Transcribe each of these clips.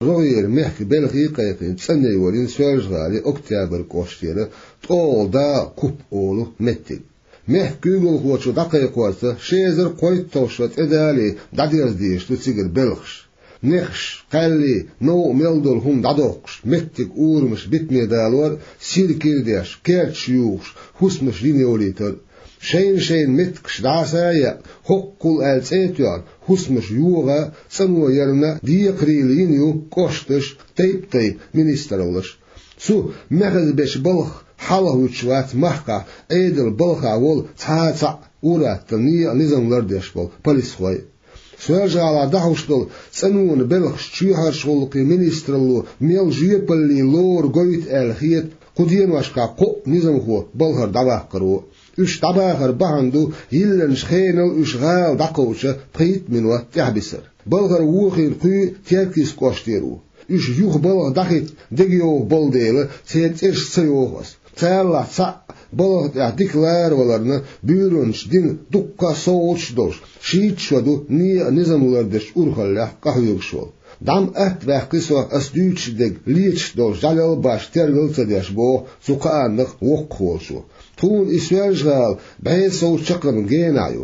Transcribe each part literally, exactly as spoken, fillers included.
рогӀера мехкан белхий а кхайкхийна, цӀанъяйорийна Соьлжа-ГӀалий Октябрь кӀоштера ТӀогӀал дакъа Куп олу меттиг. Мехкан куьйгалхочо дӀакхайкхорца ши эзар кхойтталгӀа шо тӀедале дӀадерза дезаш ду цигара белхаш. Нехаш, кхаьллий, новкъа мел долу хӀума дӀадоккхуш, меттиг, урамаш битаме далор, сира кира деш, керташ юхуш, хӀусамаш йина йолийтар. Шайна-шайна меттигаш дӀаса а яьккха, хӀоккхул аьлла цӀе а тоьхна, хӀусамаш йогӀа а, цӀано ярна а декхарийлахь йина ю кӀошташ, тайп-тайпа министраллаш. Цу мехазбечу балхах хьалхавуьтуш вац махкахь Ӏедалан балхахь волу цхьа а цхьаъ ур-атталла некъан низам лардеш болу полисхой. Соьлжа-ГӀалахь дӀахьуш долу цӀанонан белхаш чоьхьарчу гӀуллакхийн министралло мел жоьпалле лору гойту аьлла хета кху деношкахь кхоъ низамхо балхара дӀаваккхаро. Уьш дӀабахар бахьана ду йиллинчу хенал уьш гӀала дӀакховдийча пхийтта минот тӀаьхьабисар. Балхара вохийна кхуьй Теркйист кӀоштера ву. Уьш юха балха дӀахӀитта дегайовхо болу дела, церан цӀераш ца йоху ас. Царалахь цхьаъ балха тӀехь дика лара валарна, буьйранчу дина дуккха а совгӀаташ а долуш, шийтта шо ду некъан низам лардечу урхаллехь къахьоьгуш волу. ДӀа-м атта ваьккхи со ас дуьйцуш дерг леташ долчу жӀаьлал а башха тергал а ца деш, боху цу кхааннах воккхахволчо. Тхуна и Соьлжа-ГӀала бӀе сов чаккхарма генахь ю.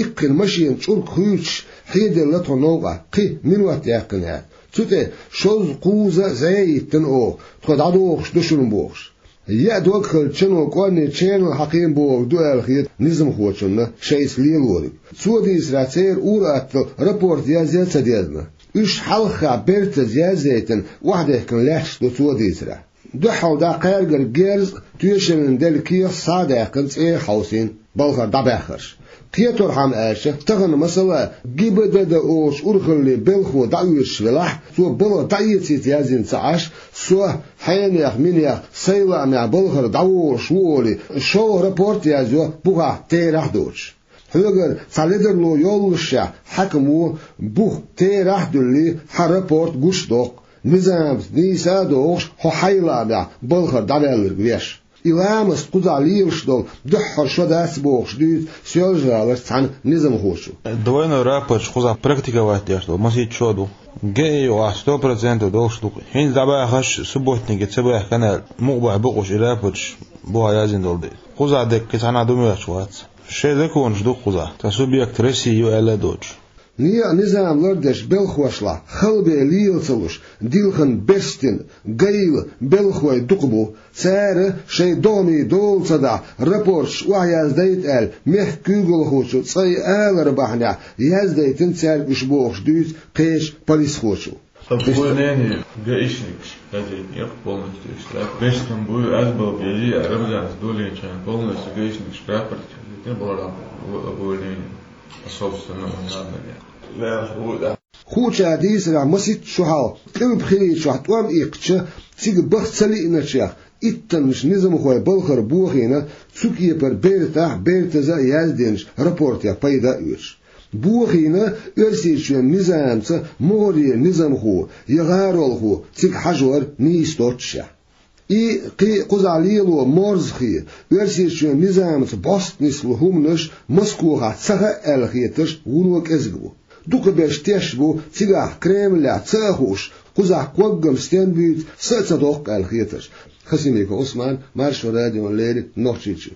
Иккхина машина чӀург хуьйцуш, хьеделла тхо новкъахь, кхин минот яьккхина яц. Цу тӀе шозза-кхузза зӀе йиттина оха, тхо дӀадохуш ду шуна бохуш. Яа дог хилча, чано кӀорни чернал хьакхийна бохург ду аьлла хета низамхочунна шайца лелориг. Цо дийцарехь, церан ур-атталла рапорт язъян а ца дезна. Уьш хьалххехь бертаза язъяйтина охьадехкина лаьтташ ду, цо дийцарехь. Дуьххьал дӀа кхаьргара герз а, тоьшаллина делла кехат а схьа а даьккхина, цӀера хьовсийна балхара дӀабаьхнарш. Кхеторхьама аьлча, тахана, масала, ГИБДД олучу урхаллин белхахо дӀаоьшуш велахь, цо балха дӀаэцийта яздина ца Ӏаш, со хьенех, минех, сайн лаамехь балхара дӀаволуш ву олий, шолгӀа рапорт а язйо, бухахь терахь а доцуш. Хьоьгара цхьа ледарло йоллушехь, хьаькамо бух терахь а дуьллий, хьан рапорт гуш а доккху, низамца нийса а догӀуш, хьо хьайн лаамехь балхара дӀаваьлларг веш. И ламаст кхузахь лелаш долу дуьххьара шо дац бохуш дуьйцу Соьлжа-ГӀаларчу цхьана низамхочо. Двойной рапорт кхузахь практиковать деш долу масийтта шо ду. ГАИ юкъахь сто процентов долуш ду-кх. ХӀинца дӀабахарш субботнике ца баьхкина аьлла, мукъа бахь бу-кх уьш и рапорташ бухахь яздина долу дела. Кхузахь дерг кхин цхьанхьа ду моьттуш вац. Шайн законаш ду-кх кхузахь. Цхьа субъект России ю аьлла а доцуш. Некъан низам лардечу белхахошлахь хала бен лела ца луш, дилхина берстина, гайла белхахой дукха бу. Цара шайн догӀмийн дола ца дахь, рапорташ охьаяздайта аьлла, мехкан куьйгалхочун цӀе алар бахьанехь, яздайтина цаьрга уьш бохуш дуьйцу кхечу полисхочо. Там увольнение гаишникаш хозяйка полностью штраф. Бештам буй азбал бежи, а Рамзанс долинчан полностью гаишникаш штраф. Полностью увольнение. По собственному желанию. Хуучара дийцарехь, масийтта шо хьалха Къилбхилийчохь тӀом иккхича, цига баха ца лиъначех, иттаннаш низамхой балхара бохийна, цу кепара бертахь а, бертаза а яздинчу рапортех пайда а оьцуш. Бохийна Оьрсийчоьнан низамца могӀарера низамхо я гӀаролхо цига хьажор нийса доццушехь. И кхин кхузахь лело морзахе, Оьрсийчоьнан низамца бӀостанислу хӀуманаш Москохахь ца хаьа аьлла хетарш вуно кӀезиг бу. Дукхахберш тешна бу, цигахь Кремлехь ца а хууш, кхузахь ког-м стенна буьйцу, са а ца доккху аьлла хетарш. Хасимиков Ӏусман, Маршо радиона леррина, Нохчийчоь.